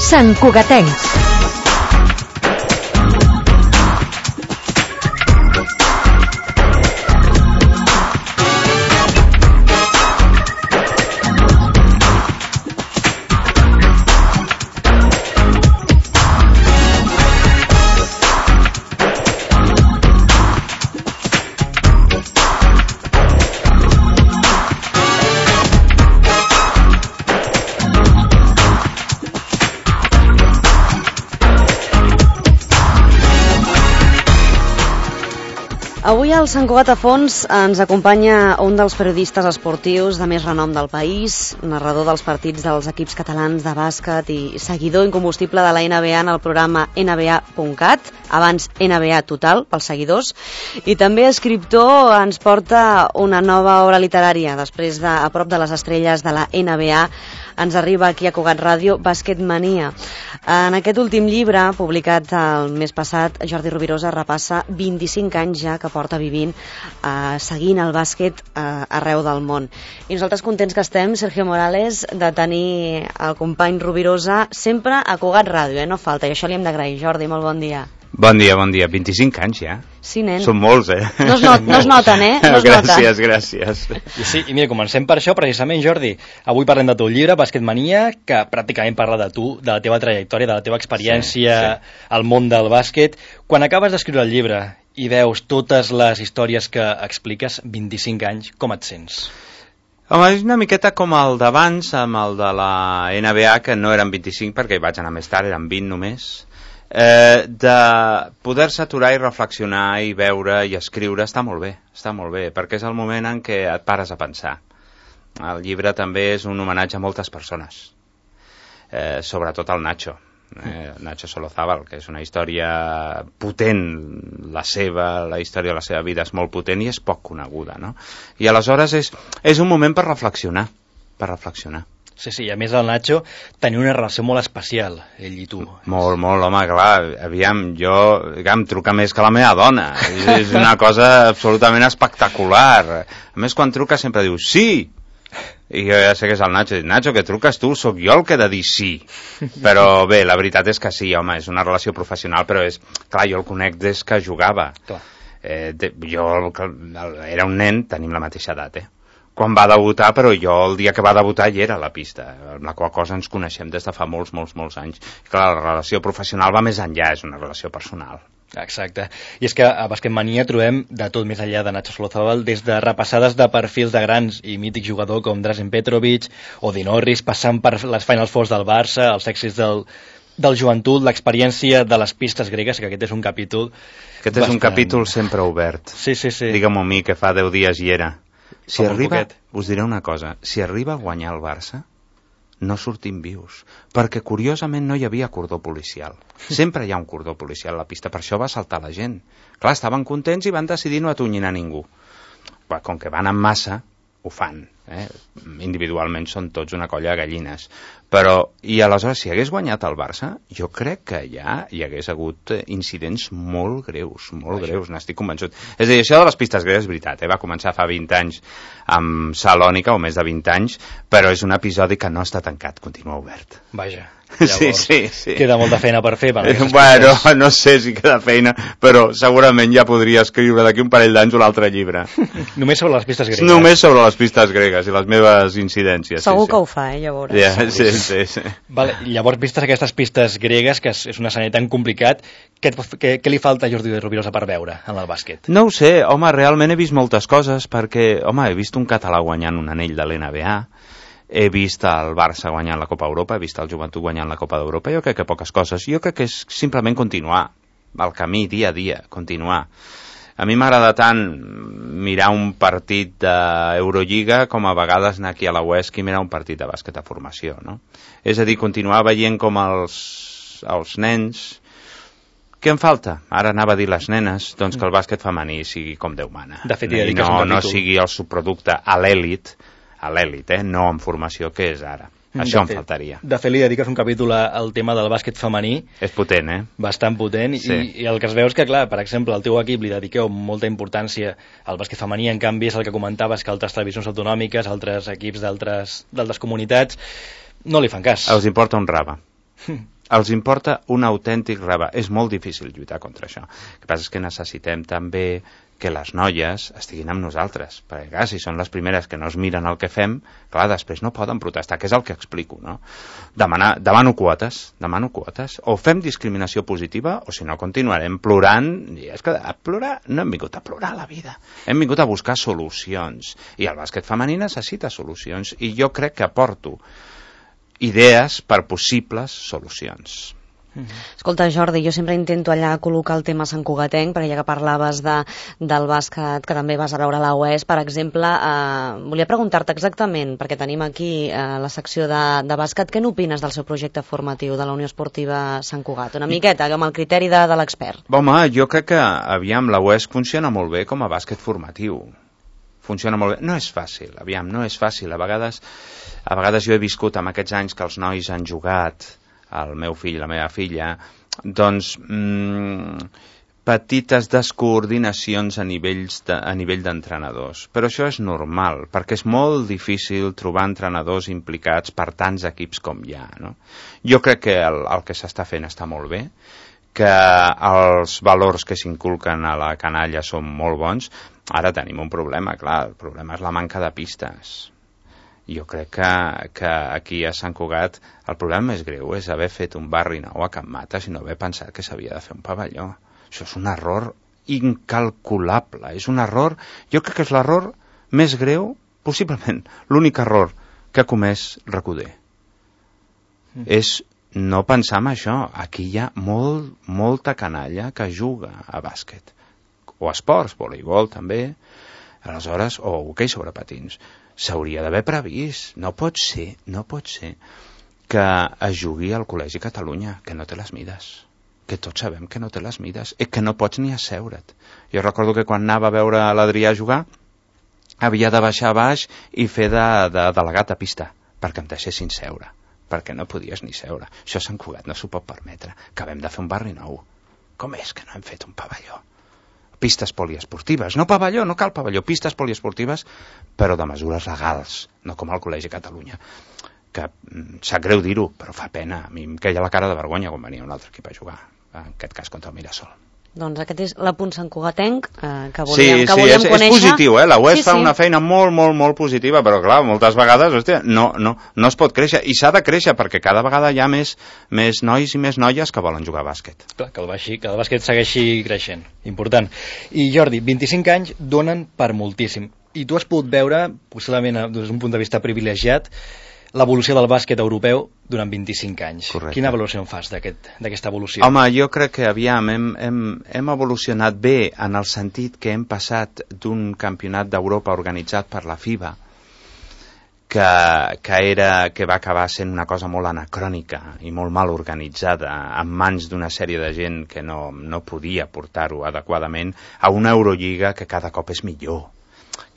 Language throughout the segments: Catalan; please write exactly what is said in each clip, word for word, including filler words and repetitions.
Sant Cugatencs. Avui al Sant Cugat a Fons ens acompanya un dels periodistes esportius de més renom del país, narrador dels partits dels equips catalans de bàsquet i seguidor incombustible de la N B A en el programa N B A punt cat, abans N B A Total pels seguidors, i també escriptor. Ens porta una nova obra literària després de A prop de les estrelles de la N B A. Ens arriba aquí a Cugat Ràdio, Basquetmania. En aquest últim llibre, publicat el mes passat, Jordi Rovirosa repassa vint-i-cinc anys ja que porta vivint, eh, seguint el bàsquet eh, arreu del món. I nosaltres contents que estem, Sergio Morales, de tenir el company Rovirosa sempre a Cugat Ràdio, eh? No falta, i això li hem d'agrair. Jordi, molt bon dia. Bon dia, bon dia. vint-i-cinc anys ja. Sí, nen. Són molts, eh? No es, not, no es noten, eh? No es gràcies, noten. gràcies. I sí, i mira, comencem per això, precisament, Jordi. Avui parlem de teu llibre, Basquetmania, que pràcticament parla de tu, de la teva trajectòria, de la teva experiència sí, sí. al món del bàsquet. Quan acabes d'escriure el llibre i veus totes les històries que expliques, vint-i-cinc anys, com et sents? Home, és una miqueta com el d'abans, amb el de la N B A, que no eren vint-i-cinc perquè hi vaig anar més tard, eren vint només. Eh, de poder-se aturar i reflexionar i veure i escriure està molt bé, està molt bé, perquè és el moment en què et pares a pensar. El llibre també és un homenatge a moltes persones, eh, sobretot al Nacho, eh, Nacho Solozábal, que és una història potent, la seva, la història de la seva vida és molt potent i és poc coneguda, no? I aleshores és, és un moment per reflexionar, per reflexionar. Sí, sí, a més el Nacho tenia una relació molt especial, ell i tu. Molt, molt, home, clar, aviam, jo, em truca més que la meva dona, és, és una cosa absolutament espectacular. A més, quan truca sempre diu, sí! I jo ja sé que és el Nacho, dic, Nacho, que truques tu, sóc jo el que he de dir sí. Però bé, la veritat és que sí, home, és una relació professional, però és, clar, jo el conec des que jugava. Clar. Eh, de, jo era un nen, tenim la mateixa edat, eh? Quan va debutar, però jo el dia que va debutar hi era a la pista, amb la qual cosa ens coneixem des de fa molts, molts, molts anys. Clar, la relació professional va més enllà, és una relació personal. Exacte. I és que a Basquetmania trobem de tot més enllà de Nacho Solozábal, des de repassades de perfils de grans i mítics jugadors com Drazen Petrovic o Di Norris, passant per les Final Fours del Barça, els èxits del, del joventut, l'experiència de les pistes gregues, que aquest és un capítol... Aquest és bastant... un capítol sempre obert. Sí, sí, sí. Digue'm-ho a mi, que fa deu dies hi era. Si Com arriba, us diré una cosa, si arriba a guanyar el Barça, no sortim vius, perquè curiosament no hi havia cordó policial. Sempre hi ha un cordó policial a la pista, per això va saltar la gent. Clar, estaven contents i van decidir no atonyinar ningú. Com que van en massa, ho fan. Eh? Individualment són tots una colla de gallines. Però, i aleshores, si hagués guanyat el Barça, jo crec que ja hi hagués hagut incidents molt greus, molt Vaja. greus, n'estic convençut. És a dir, això de les pistes greus és veritat, eh? Va començar fa vint anys amb Salònica, o més de vint anys, però és un episodi que no està tancat, continua obert. Vaja. Llavors, sí, sí, sí. Queda molta feina per fer. Per bueno, no sé si queda feina, però segurament ja podria escriure d'aquí un parell d'anys un altre llibre. Només sobre les pistes gregues. Només sobre les pistes gregues i les meves incidències. Segur sí, que sí. ho fa, eh, llavors. Yeah, sí, sí, sí. Vale, llavors, vistes aquestes pistes gregues, que és un escenari tan complicat, què, què, què li falta a Jordi Rovirosa per veure en el bàsquet? No ho sé, home, realment he vist moltes coses, perquè, home, he vist un català guanyant un anell de l'N B A, he vist el Barça guanyant la Copa Europa, he vist el Joventut guanyant la Copa d'Europa, jo crec que poques coses. Jo crec que és simplement continuar el camí dia a dia, continuar. A mi m'agrada tant mirar un partit d'Eurolliga com a vegades anar aquí a la U E S C i mirar un partit de bàsquet a formació, no? És a dir, continuar veient com els, els nens... Què em falta? Ara anava a dir les nenes, doncs que el bàsquet femení sigui com Déu mana. De fet, I no, no sigui el subproducte a l'èlit, a l'èlit, eh? No en formació, que és ara. Això em faltaria. De fet, li dediques un capítol al tema del bàsquet femení. És potent, eh? Bastant potent. Sí. I, I el que es veu és que, clar, per exemple, al teu equip li dediqueu molta importància al bàsquet femení, en canvi és el que comentaves que altres televisions autonòmiques, altres equips d'altres comunitats, no li fan cas. Els importa un rave. els importa un autèntic rebat. És molt difícil lluitar contra això. El que passa és que necessitem també que les noies estiguin amb nosaltres, perquè clar, si són les primeres que no es miren el que fem, clar, després no poden protestar, que és el que explico, no? Demanar, demano quotes, demano quotes, o fem discriminació positiva, o si no continuarem plorant, i és que a plorar, no hem vingut a plorar la vida, hem vingut a buscar solucions, i el bàsquet femení necessita solucions, i jo crec que aporto idees per possibles solucions. Escolta, Jordi, jo sempre intento allà col·locar el tema santcugatenc, perquè ja que parlaves de, del bàsquet, que també vas a veure a la U E S, per exemple, eh, volia preguntar-te exactament, perquè tenim aquí eh, la secció de, de bàsquet, què n'opines del seu projecte formatiu de la Unió Esportiva Sant Cugat? Una miqueta, amb el criteri de, de l'expert. Home, jo crec que, aviam, la U E S funciona molt bé com a bàsquet formatiu. Funciona molt bé. No és fàcil, aviam, no és fàcil. A vegades, a vegades jo he viscut amb aquests anys que els nois han jugat, el meu fill i la meva filla, doncs mmm, petites descoordinacions a, nivells de, a nivell d'entrenadors. Però això és normal, perquè és molt difícil trobar entrenadors implicats per tants equips com hi ha, no? Jo crec que el, el que s'està fent està molt bé, que els valors que s'inculquen a la canalla són molt bons. Ara tenim un problema, clar, el problema és la manca de pistes. Jo crec que, que aquí a Sant Cugat el problema més greu és haver fet un barri nou a Can Mates i no haver pensat que s'havia de fer un pavelló. Això és un error incalculable, és un error, jo crec que és l'error més greu, possiblement l'únic error que ha comès Recoder. Mm. És no pensar en això. Aquí hi ha molt, molta canalla que juga a bàsquet, o esports, voleibol també, aleshores, o hoquei sobre patins. S'hauria d'haver previst. No pot ser, no pot ser que es jugui al Col·legi Catalunya, que no té les mides, que tots sabem que no té les mides, i que no pots ni asseure't. Jo recordo que quan anava a veure l'Adrià jugar, havia de baixar a baix i fer de, de delegat a pista, perquè em deixessin seure, perquè no podies ni seure. Això Sant Cugat no s'ho pot permetre. Acabem de fer un barri nou. Com és que no hem fet un pavelló? Pistes poliesportives, no pavelló, no cal pavelló, pistes poliesportives, però de mesures legals, no com al Col·legi Catalunya, que mm, sap greu dir-ho, però fa pena. A mi em queia la cara de vergonya quan venia un altre equip a jugar, en aquest cas contra el Mirasol. Doncs aquest és l'apunt santcugatenc eh, que volíem, sí, que sí, volíem és, conèixer. És positiu, eh? La U E S sí, fa sí. una feina molt, molt, molt positiva, però clar, moltes vegades, hòstia, no, no, no es pot créixer, i s'ha de créixer, perquè cada vegada hi ha més, més nois i més noies que volen jugar a bàsquet. Clar, que el, baixi, que el bàsquet segueixi creixent, important. I Jordi, vint-i-cinc anys donen per moltíssim, i tu has pogut veure, possiblement des d'un punt de vista privilegiat, l'evolució del bàsquet europeu durant vint-i-cinc anys. Correcte. Quina valoració en fas d'aquesta aquest, evolució? Home, jo crec que aviam, hem, hem, hem evolucionat bé en el sentit que hem passat d'un campionat d'Europa organitzat per la FIBA, que, que, era, que va acabar sent una cosa molt anacrònica i molt mal organitzada, en mans d'una sèrie de gent que no, no podia portar-ho adequadament, a una Eurolliga que cada cop és millor,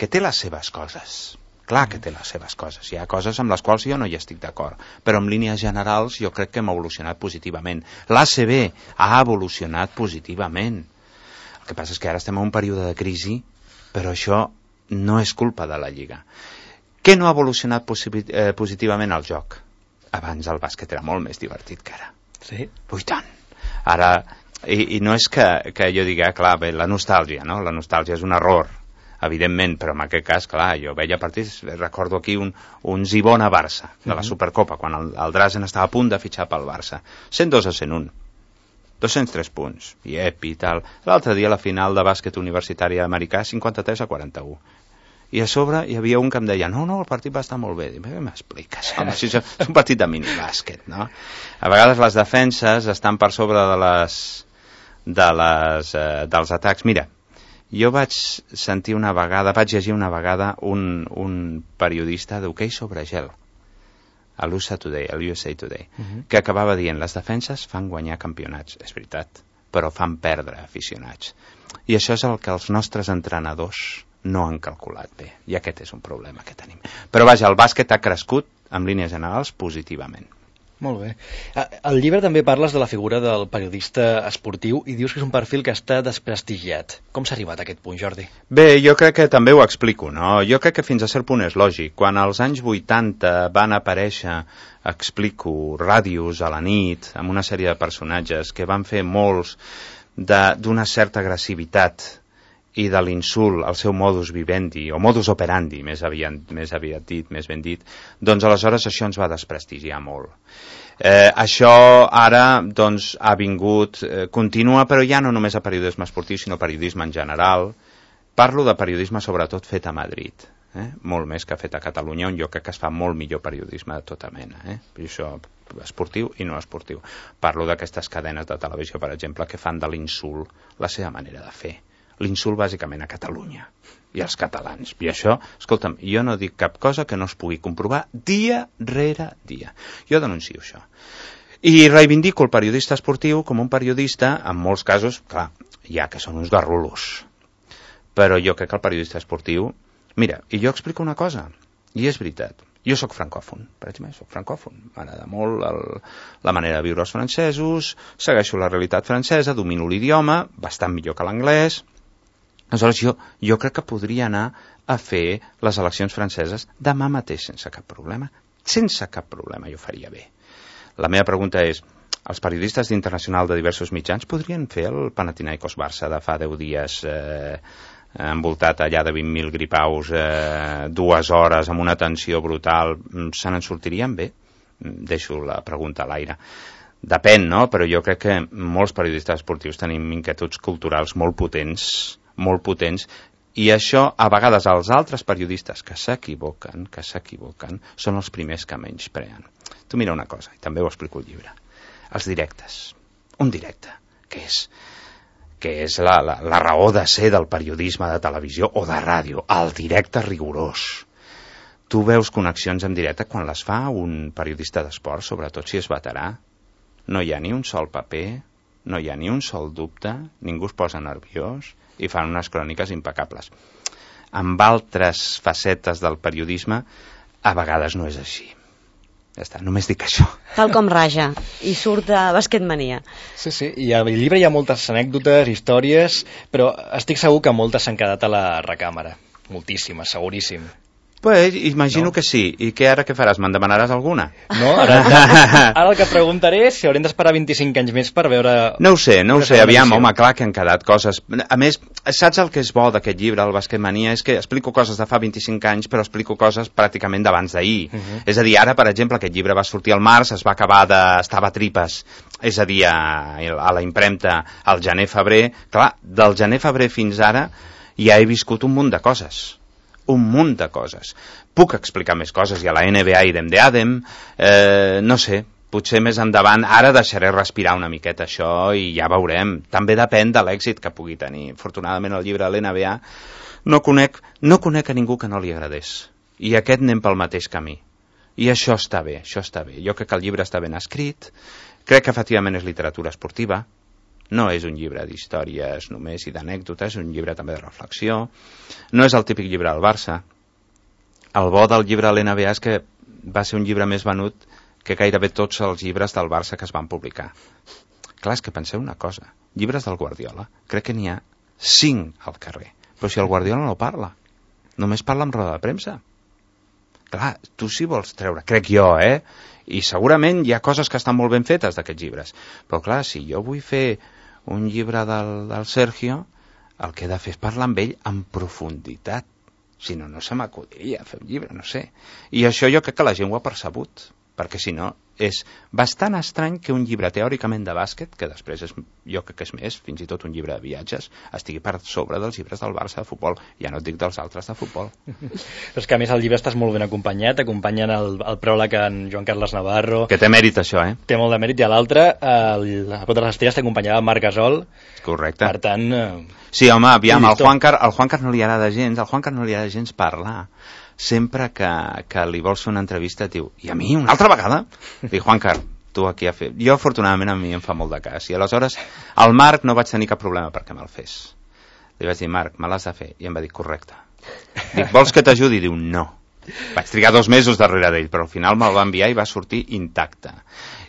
que té les seves coses. Clar que té les seves coses, hi ha coses amb les quals jo no hi estic d'acord, però en línies generals jo crec que hem evolucionat positivament. L'A C B ha evolucionat positivament. El que passa és que ara estem en un període de crisi, però això no és culpa de la Lliga. Què no ha evolucionat eh, positivament el joc? Abans el bàsquet era molt més divertit que ara. Sí? Ui, tant! Ara, i, i no és que, que jo digui, ah, clar, bé, la nostàlgia, no? La nostàlgia és un error, evidentment, però en aquest cas, clar, jo veia partits, recordo aquí un, un Zibona-Barça, de la Supercopa, quan el, el Drazen estava a punt de fitxar pel Barça. cent dos a cent un. dos-cents tres punts, i epi i tal. L'altre dia, la final de bàsquet universitari americà, cinquanta-tres a quaranta-u. I a sobre hi havia un que em deia, no, no, el partit va estar molt bé. Dic, què m'expliques? Home, si és un partit de minibàsquet, no? A vegades les defenses estan per sobre de les, de les, eh, dels atacs. Mira, jo vaig sentir una vegada, vaig llegir una vegada un, un periodista d'hoquei sobre gel, a l'U S A Today, a l'U S A Today, uh-huh. que acabava dient, les defenses fan guanyar campionats, és veritat, però fan perdre aficionats. I això és el que els nostres entrenadors no han calculat bé, i aquest és un problema que tenim. Però vaja, el bàsquet ha crescut, en línies generals, positivament. Molt bé. Al llibre també parles de la figura del periodista esportiu i dius que és un perfil que està desprestigiat. Com s'ha arribat a aquest punt, Jordi? Bé, jo crec que també ho explico, no? Jo crec que fins a cert punt és lògic. Quan als anys vuitanta van aparèixer, explico, ràdios a la nit, amb una sèrie de personatges que van fer molts d'una certa agressivitat i de l'insult al seu modus vivendi, o modus operandi, més aviat, més aviat dit, més ben dit, doncs aleshores això ens va desprestigiar molt. Eh, això ara doncs, ha vingut, eh, continua, però ja no només a periodisme esportiu, sinó periodisme en general. Parlo de periodisme sobretot fet a Madrid, eh? Molt més que fet a Catalunya, on jo crec que es fa molt millor periodisme de tota mena, eh? I això esportiu i no esportiu. Parlo d'aquestes cadenes de televisió, per exemple, que fan de l'insult la seva manera de fer. L'insult bàsicament a Catalunya i als catalans. I això, escolta'm, jo no dic cap cosa que no es pugui comprovar dia rere dia. Jo denuncio això. I reivindico el periodista esportiu com un periodista, en molts casos, clar, ja que són uns garrulos. Però jo crec que el periodista esportiu... Mira, i jo explico una cosa, i és veritat. Jo sóc francòfon, per exemple, sóc francòfon. M'agrada molt el, la manera de viure els francesos, segueixo la realitat francesa, domino l'idioma, bastant millor que l'anglès. Aleshores, jo, jo crec que podria anar a fer les eleccions franceses demà mateix sense cap problema. Sense cap problema, jo faria bé. La meva pregunta és, els periodistes d'Internacional de diversos mitjans podrien fer el Panathinaikos Barça de fa deu dies eh, envoltat allà de vint mil gripaus, eh, dues hores amb una tensió brutal, se n'en sortirien bé? Deixo la pregunta a l'aire. Depèn, no? Però jo crec que molts periodistes esportius tenim inquietuds culturals molt potents, molt potents, i això a vegades els altres periodistes que s'equivoquen, que s'equivoquen, són els primers que menyspreen. Tu mira una cosa, i també ho explico al llibre. Els directes. Un directe, que és, que és la, la, la raó de ser del periodisme de televisió o de ràdio, el directe rigorós. Tu veus connexions en directe quan les fa un periodista d'esport, sobretot si és veterà. No hi ha ni un sol paper, no hi ha ni un sol dubte, ningú es posa nerviós, i fan unes cròniques impecables. Amb altres facetes del periodisme, a vegades no és així. Ja està, només dic això. Tal com raja, i surt de Basquetmania. Sí, sí, i al llibre hi ha moltes anècdotes, històries, però estic segur que moltes s'han quedat a la recàmera. Moltíssimes, seguríssim. Pues, imagino no? que sí. I què ara què faràs? Me'n demanaràs alguna? No, ara, ara el que preguntaré és si haurem d'esperar vint-i-cinc anys més per veure... No ho sé, no ho sé, aviam, edició. Home, clar que han quedat coses... A més, saps el que és bo d'aquest llibre, el Basquetmania? És que explico coses de fa vint-i-cinc anys, però explico coses pràcticament d'abans d'ahir. Uh -huh. És a dir, ara, per exemple, aquest llibre va sortir al març, es va acabar de... estava a tripes, és a dir, a, a la impremta al gener-febrer. Clar, del gener-febrer fins ara ja he viscut un munt de coses. Un munt de coses. Puc explicar més coses, i a la N B A idem de Adem, eh, no sé, potser més endavant, ara deixaré respirar una miqueta això i ja veurem. També depèn de l'èxit que pugui tenir. Afortunadament el llibre de l'N B A no conec, no conec a ningú que no li agradés. I aquest anem pel mateix camí. I això està bé, això està bé. Jo crec que el llibre està ben escrit, crec que efectivament és literatura esportiva, no és un llibre d'històries només i d'anècdotes, és un llibre també de reflexió. No és el típic llibre del Barça. El bo del llibre de l'N B A és que va ser un llibre més venut que gairebé tots els llibres del Barça que es van publicar. Clar, és que penseu una cosa. Llibres del Guardiola, crec que n'hi ha cinc al carrer. Però si el Guardiola no parla, només parla amb roda de premsa. Clar, tu si vols treure, crec jo, eh? I segurament hi ha coses que estan molt ben fetes d'aquests llibres. Però clar, si jo vull fer un llibre del, del Sergio, el que he de fer és parlar amb ell en profunditat. Si no, no se m'acudiria fer un llibre, no sé. I això jo crec que la gent ho ha percebut, perquè si no, és bastant estrany que un llibre teòricament de bàsquet, que després és, jo crec que és més, fins i tot un llibre de viatges, estigui per sobre dels llibres del Barça de futbol. Ja no et dic dels altres de futbol. Però és que a més el llibre estàs molt ben acompanyat, acompanyen el, el pròleg en Joan Carles Navarro. Que té mèrit això, eh? Té molt de mèrit, i a l'altre, el, a Pot de les Estrelles t'acompanyava el Marc Gasol. Correcte. Per tant... Eh, sí, home, aviam, al Juancar, al Juancar no li agrada gens, al Juancar no li agrada gens parlar. Sempre que, que li vols fer una entrevista et diu, i a mi una altra vegada? Dic, Juancar, tu aquí a fer... Jo, afortunadament, a mi em fa molt de cas. I aleshores, al Marc no vaig tenir cap problema perquè me'l fes. Li vaig dir, Marc, me l'has de fer. I em va dir, correcte. Dic, vols que t'ajudi? Diu, no. Vaig trigar dos mesos darrere d'ell, però al final me'l va enviar i va sortir intacte.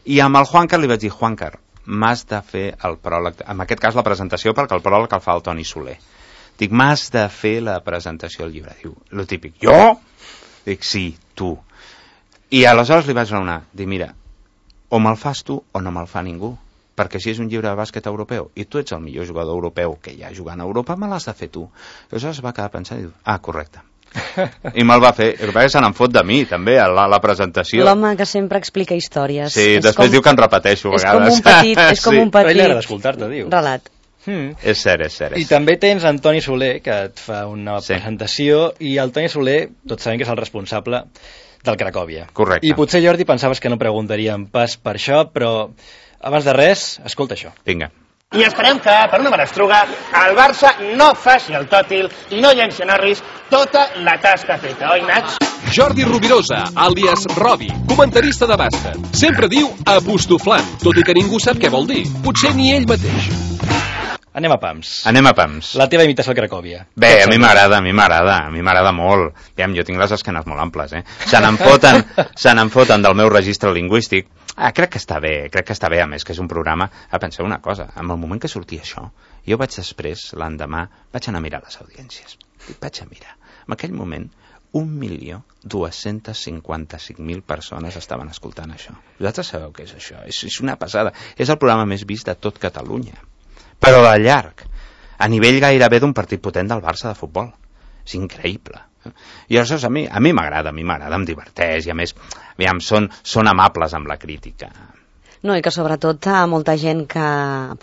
I amb el Juancar li vaig dir, Juancar, m'has de fer el pròleg, en aquest cas la presentació, perquè el pròleg el fa el Toni Soler. Dic, m'has de fer la presentació del llibre. Diu, lo típic, jo? Dic, sí, tu. I aleshores li vaig raonar, dic, mira, o me'l fas tu o no me'l fa ningú, perquè si és un llibre de bàsquet europeu i tu ets el millor jugador europeu que hi ha jugant a Europa, me l'has de fer tu. I aleshores va quedar pensant i diu, ah, correcte. I me'l va fer, el que se n'en fot de mi també a la, la presentació. L'home que sempre explica històries. Sí, és després com, diu que en repeteixo a vegades. És com un petit, és com sí. un petit però ell agrada escoltar-te, diu. Relat. Hmm. És cert, és cert. És I també tens en Toni Soler, que et fa una sí. presentació, i el Toni Soler, tots sabem que és el responsable del Cracòvia. Correcte. I potser, Jordi, pensaves que no preguntaríem pas per això, però abans de res, escolta això. Vinga. I esperem que, per una menestruga, el Barça no faci el tòtil i no llenci a Norris tota la tasca feta, oi, Nats? Jordi Rovirosa, àlies Robi, comentarista de bàsquet. Sempre diu apostoflant, tot i que ningú sap què vol dir. Potser ni ell mateix. Anem a pams. Anem a pams. La teva imitació al Cracòvia. Bé, a mi m'agrada, a mi m'agrada, a mi m'agrada molt. Aviam, jo tinc les esquenes molt amples, eh? Se n'en foten, se n'en foten del meu registre lingüístic. Ah, crec que està bé, crec que està bé, a més que és un programa. Ah, penseu una cosa, en el moment que sortia això, jo vaig després, l'endemà, vaig anar a mirar les audiències. I vaig a mirar. En aquell moment, un milió dos-cents cinquanta-cinc mil persones estaven escoltant això. Vosaltres sabeu què és això? És, és una passada. És el programa més vist de tot Catalunya. Però de llarg, a nivell gairebé d'un partit potent del Barça de futbol. És increïble. I aleshores a mi a mi m'agrada, a mi m'agrada, em diverteix, i a més, aviam, són, són amables amb la crítica. No, i que sobretot a molta gent que,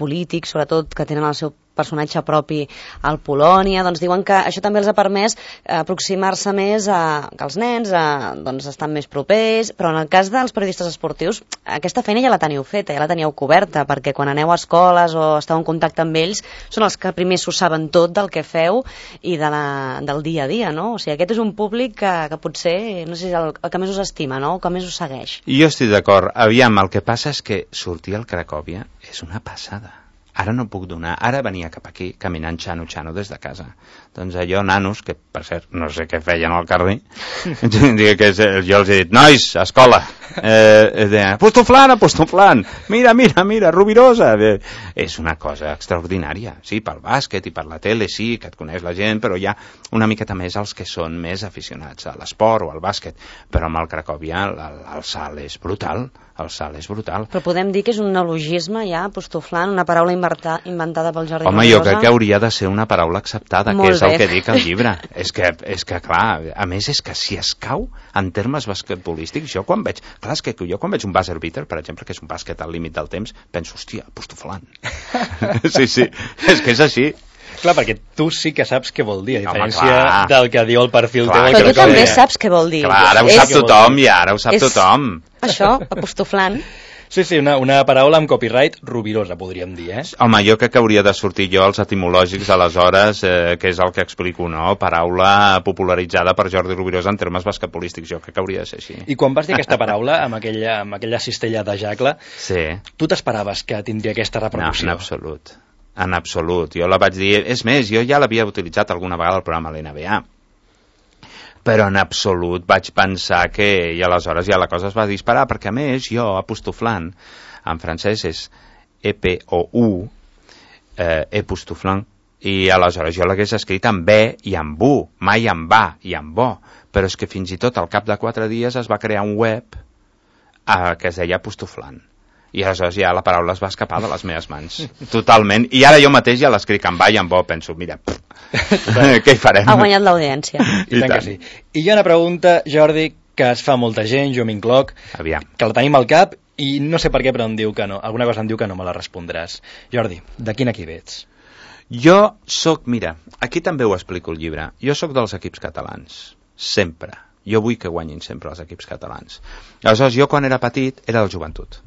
polítics, sobretot, que tenen el seu personatge propi al Polònia, doncs diuen que això també els ha permès aproximar-se més a que els nens a, doncs estan més propers, però en el cas dels periodistes esportius aquesta feina ja la teniu feta, ja la teníeu coberta, perquè quan aneu a escoles o esteu en contacte amb ells són els que primer s'ho saben tot del que feu i de la, del dia a dia, no? O sigui, aquest és un públic que, que potser, no sé si és el, el que més us estima, no? El que més us segueix. Jo estic d'acord. Aviam, el que passa és que sortir al Cracòvia és una passada. Ara no puc donar, ara venia cap aquí caminant xano-xano des de casa. Doncs allò, nanos, que per cert no sé què feien al carrer, que jo els he dit, nois, escola, eh, de, apostoflant, apostoflant, mira, mira, mira, Rovirosa. Eh, és una cosa extraordinària, sí, pel bàsquet i per la tele, sí, que et coneix la gent, però hi ha una miqueta més els que són més aficionats a l'esport o al bàsquet, però amb el Cracòvia el, el salt és brutal, el salt és brutal. Però podem dir que és un neologisme ja, apostoflant, una paraula inventada, inventada pel Jordi Home, Rovirosa? Jo crec que hauria de ser una paraula acceptada, Molt que és bé. el que dic al llibre. és, que, és que, clar, a més és que si es cau en termes basquetbolístics, jo quan veig, clar, és que jo quan veig un buzzer beater, per exemple, que és un bàsquet al límit del temps, penso, hòstia, apostoflant. sí, sí, és que és així. Clar, perquè tu sí que saps què vol dir, a diferència Home, del que diu el perfil teu. Però tu també saps què vol dir. Clar, ara ho sap tothom i ara ho sap és tothom. Això, apostoflant. Sí, sí, una, una paraula amb copyright Rovirosa, podríem dir, eh? Home, jo crec que hauria de sortir jo els etimològics aleshores, eh, que és el que explico, no? Paraula popularitzada per Jordi Rovirosa en termes basquetbolístics, jo crec que hauria de ser així. I quan vas dir aquesta paraula, amb aquella, amb aquella cistella de jacle, sí. Tu t'esperaves que tindria aquesta repercussió? No, en absolut. En absolut. Jo la vaig dir... És més, jo ja l'havia utilitzat alguna vegada al programa de l'N B A. Però en absolut vaig pensar que... I aleshores ja la cosa es va disparar, perquè a més jo, apostoflant, en francès és E P O U, eh, apostoflant, i aleshores jo l'hagués escrit amb B i amb U, mai amb A i amb O. Però és que fins i tot al cap de quatre dies es va crear un web eh, que es deia apostoflant. I aleshores ja la paraula es va escapar de les meves mans. Totalment. I ara jo mateix ja l'escric amb A i amb O. Penso, mira, què hi farem? Ha guanyat l'audiència. I, I tant que sí. I hi ha una pregunta, Jordi, que es fa molta gent, jo m'incloc, que la tenim al cap i no sé per què, però em diu que no. Alguna cosa em diu que no me la respondràs. Jordi, de quin equip ets? Jo sóc, mira, aquí també ho explico el llibre, jo sóc dels equips catalans. Sempre. Jo vull que guanyin sempre els equips catalans. Aleshores, jo quan era petit era el Joventut.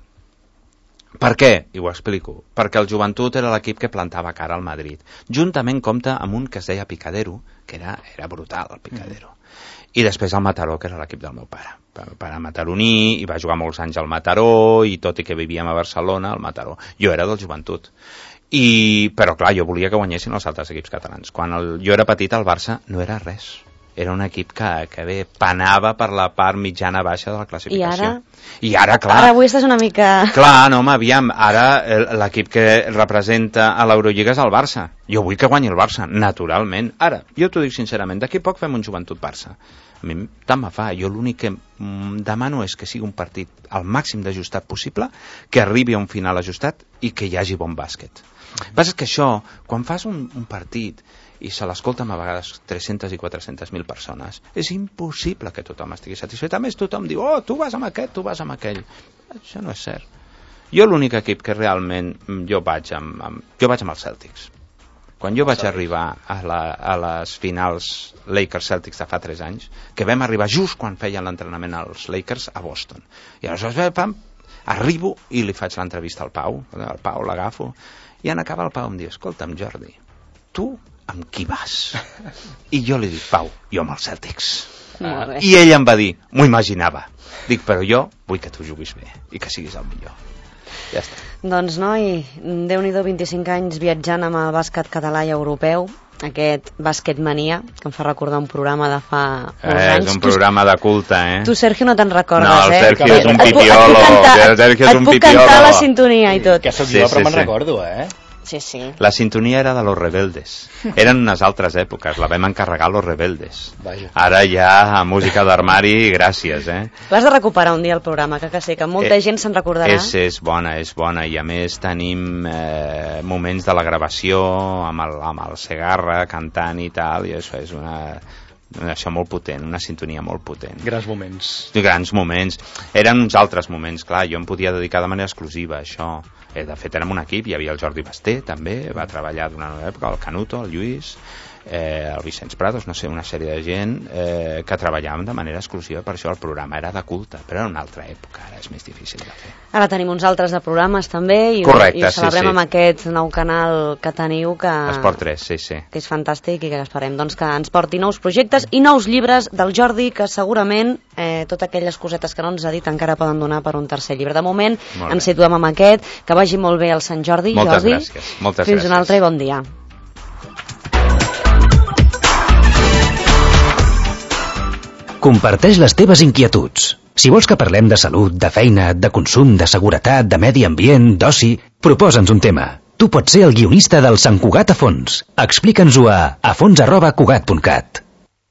Per què? I ho explico. Perquè el Joventut era l'equip que plantava cara al Madrid. Juntament compta amb un que es deia Picadero, que era, era brutal, el Picadero. Mm. I després el Mataró, que era l'equip del meu pare. El meu pare mataroní, i va jugar molts anys al Mataró, i tot i que vivíem a Barcelona, al Mataró. Jo era del Joventut. I, però clar, jo volia que guanyessin els altres equips catalans. Quan el, jo era petit, el Barça no era res. era un equip que, que bé, panava per la part mitjana-baixa de la classificació. I ara? I ara, clar... Ara avui estàs una mica... Clar, no, home, aviam, ara l'equip que representa a l'Eurolliga és el Barça. Jo vull que guanyi el Barça, naturalment. Ara, jo t'ho dic sincerament, d'aquí poc fem un Joventut-Barça. A mi tant me fa, jo l'únic que demano és que sigui un partit al màxim d'ajustat possible, que arribi a un final ajustat i que hi hagi bon bàsquet. El que passa és que això, quan fas un, un partit i se l'escolten a vegades tres-centes i quatre-centes mil persones, és impossible que tothom estigui satisfet. A més, tothom diu, oh, tu vas amb aquest, tu vas amb aquell. Això no és cert. Jo l'únic equip que realment jo vaig amb, amb, jo vaig amb els Celtics. Quan jo vaig arribar a, la, a les finals Lakers-Celtics de fa tres anys, que vam arribar just quan feien l'entrenament als Lakers a Boston. I aleshores, pam, arribo i li faig l'entrevista al Pau, el Pau l'agafo, i en acabar el Pau em diu, escolta'm, Jordi, tu amb qui vas? I jo li dic, Pau, jo amb els Celtics. Molt bé. I ell em va dir, m'ho imaginava. Dic, però jo vull que tu juguis bé i que siguis el millor. Ja està. Doncs, noi, Déu-n'hi-do, vint-i-cinc anys viatjant amb el bàsquet català i europeu, aquest Bàsquet Mania, que em fa recordar un programa de fa molts eh, anys. És un programa de culte, eh? Tu, Sergio, no te'n recordes, no, el Sergio eh? és un Et puc- pipiolo. Et puc cantar, El Sergio és et un puc pipiolo. cantar la sintonia i tot. Que sóc Sí, jo, però sí, me'n sí. recordo, eh? Sí, sí. La sintonia era de Los Rebeldes. Eren unes altres èpoques, la vam encarregar a Los Rebeldes. Vaja. Ara ja música d'armari, gràcies, eh? L'has de recuperar un dia el programa, que, que sé que molta Eh, gent se'n recordarà. És, és bona, és bona, i a més tenim eh, moments de la gravació amb el, amb el Segarra cantant i tal, i això és una... això molt potent, una sintonia molt potent. Grans moments. Grans moments. Eren uns altres moments, clar, jo em podia dedicar de manera exclusiva a això. Eh, de fet, érem un equip, hi havia el Jordi Basté, també, va treballar durant una època, el Canuto, el Lluís, eh, el Vicenç Prados, no sé, una sèrie de gent eh, que treballàvem de manera exclusiva, per això el programa era de culte, però era una altra època, ara és més difícil de fer. Ara tenim uns altres de programes també i, Correcte, i ho celebrem sí, sí. amb aquest nou canal que teniu que, Esport tres, sí, sí. que és fantàstic i que esperem doncs, que ens porti nous projectes i nous llibres del Jordi, que segurament eh, totes aquelles cosetes que no ens ha dit encara poden donar per un tercer llibre. De moment Molt bé. ens situem amb aquest, que vagi molt bé el Sant Jordi. Moltes Jordi. gràcies, moltes Fins gràcies. un altre i bon dia. Comparteix les teves inquietuds. Si vols que parlem de salut, de feina, de consum, de seguretat, de medi ambient, d'oci, proposa'ns un tema. Tu pots ser el guionista del Sant Cugat a fons. Explica'ns-ho a afons arroba cugat punt cat.